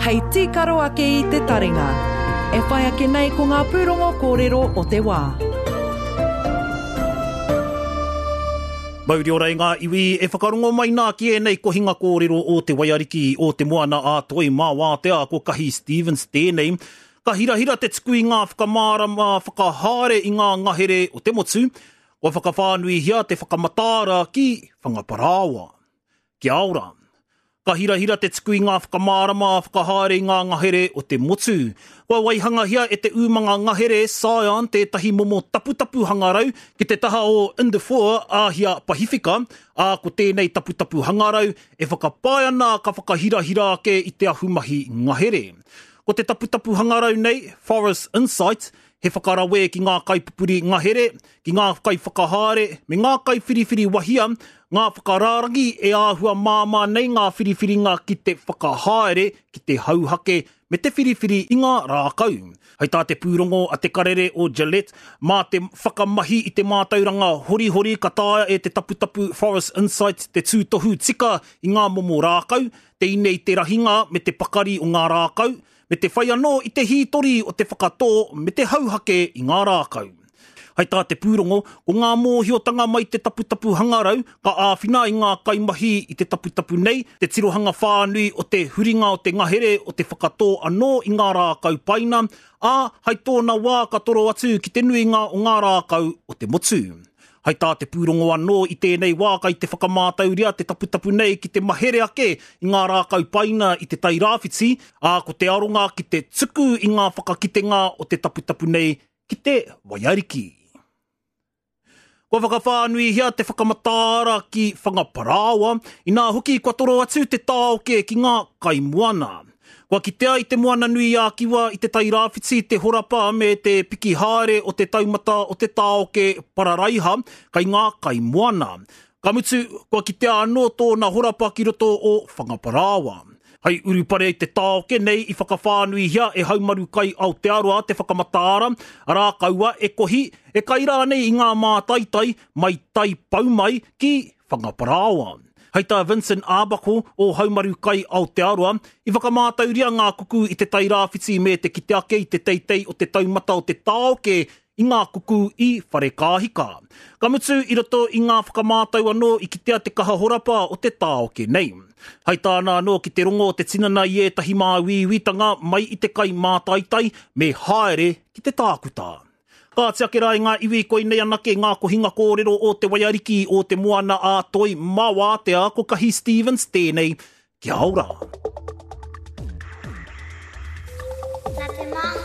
Hei tīkaro ake i te taringa. E whai ake nei ko ngā pūrongo kōrero o te wā. Mauri ora i ngā iwi e whakarongo mai nā ki ēnei kohinga kōrero o Te Waiariki, o Te Moana a Toi mā Wātea, ko Kahi Stevens tēnei. Ka hirahira te tuku i ngā whakamārama whakahaere i ngā ngahere o te motu, kua whakawhānuihia te whakamataara ki Whangaparāoa. Kia ora. Ka hirahira te tuku i ngā whakamārama whakahaere i ngā ngahere o te motu. Kua waihangahia e te umanga ngahere Scion tētahi momo taputapu hangarau ki te taha o Indafour Āhia Pahiwhika, ā, ko tēnei taputapu hangarau e whakapae ana ka whakahirahira ake i te ahumahi ngahere. Ko te taputapu hangarau nei, Forest Insight, he whakarawē ki ngā kaipupuri ngahere, ki ngā kaiwhakahaere me ngā kaiwhiriwhiri wahia, ngā whakarārangi e āhua māmā nei ngā whiriwhiringa ki te whakahaere, ki te hauhake me te whiriwhiri i ngā rākau. Hei tā te pūrongo a te karere o Gillette, mā te whakamahi i te mātauranga horihori ka taea e te taputapu Forest Insight te tūtohu tika i ngā momo rākau, te ine i te rahinga me te pakari o ngā rākau, me te whai anō i te hītori o te whakatō me te hauhake i ngā rākau. Hai tā te pūrongo, ko ngā mōhiotanga mai te taputapu hangarau ka āwhina i ngā kaimahi i te taputapu nei, te tirohanga whānui o te huringa o te ngahere o te whakatō anō i ngā rākau paina, ā, hai tōna wā ka toro atu ki te nuinga o ngā rākau o te motu. Hai tā te pūrongo anō i tēnei wā kai te whakamātauria te taputapu nei ki te mahere ake i ngā rākau paina i Te Tai Rāwhiti, ā, ko te aronga ki te tuku i ngā whakakitenga o te taputapu nei ki te waiariki. Kua whakawhānuihia te whakamataara ki Whangaparāoa, inā hoki kua toro atu te tāoke ki ngā kaimoana. Kua kitea i Te Moana-nui-a-Kiwa i Te Tai Rāwhiti te horapa me te piki haere o te taumata o te tāoke pararaiha kei ngā kaimoana. Ka mutu, kua kitea anō tōna horapa ki roto o Whangaparāoa. Hei urupare i te tāoke nei i whakawhānuihia e Haumaru Kai Aotearoa te whakamataara, arā kaua e kohi, e kai rānei i ngā mātaitai mai tai pau mai ki Whangaparāoa. Hei tā Vincent Arbuckle o Haumaru Kai Aotearoa, i whakamātauria ngā kuku i Te Tai Rāwhiti me te kite ake i te teitei o te taumata o te tāoke i ngā kuku i Wharekāhika. Ka mutu, i roto i ngā whakamātau anō i kitea te kaha horapa o te tāoke nei. Hai tāna anō ki te rongo o te tinana i ētahi māuiuitanga mai i te kai mātaitai me haere ki te tākuta. Kāti ake rā i ngā iwi koinei anake ngā kohinga kōrero o Te Waiariki o Te Moana a Toi mā Wātea ko Kahi Stevens tēnei. Kia ora! Nā te māngai.